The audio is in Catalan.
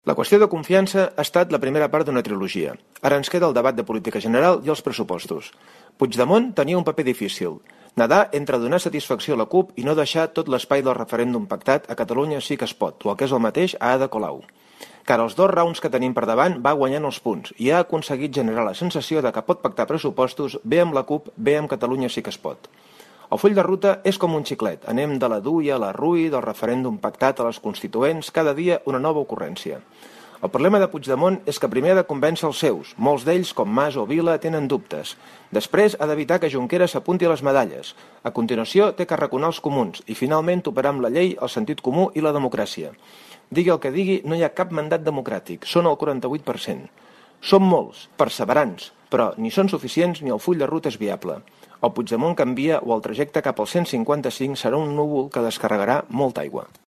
La qüestió de confiança ha estat la primera part d'una trilogia. Ara ens queda el debat de política general i els pressupostos. Puigdemont tenia un paper difícil. Nedar entre donar satisfacció a la CUP i no deixar tot l'espai del referèndum pactat a Catalunya sí que es pot, o el que és el mateix a Ada Colau. Que ara els 2 rounds que tenim per davant va guanyant els punts i ha aconseguit generar la sensació de que pot pactar pressupostos bé amb la CUP, bé amb Catalunya sí que es pot. El full de ruta és com un xiclet. Anem de la DUI a la RUI, del referèndum pactat a les constituents, cada dia una nova ocurrència. El problema de Puigdemont és que primer ha de convèncer els seus. Molts d'ells, com Mas o Vila, tenen dubtes. Després ha d'evitar que Junqueras s'apunti a les medalles. A continuació té que arraconar els comuns i finalment toparà amb la llei, el sentit comú i la democràcia. Digui el que digui, no hi ha cap mandat democràtic. Són el 48%. Som molts, perseverants, però ni són suficients ni el full de ruta és viable. El Puigdemont canvia o el trajecte cap al 155 serà un núvol que descarregarà molta aigua.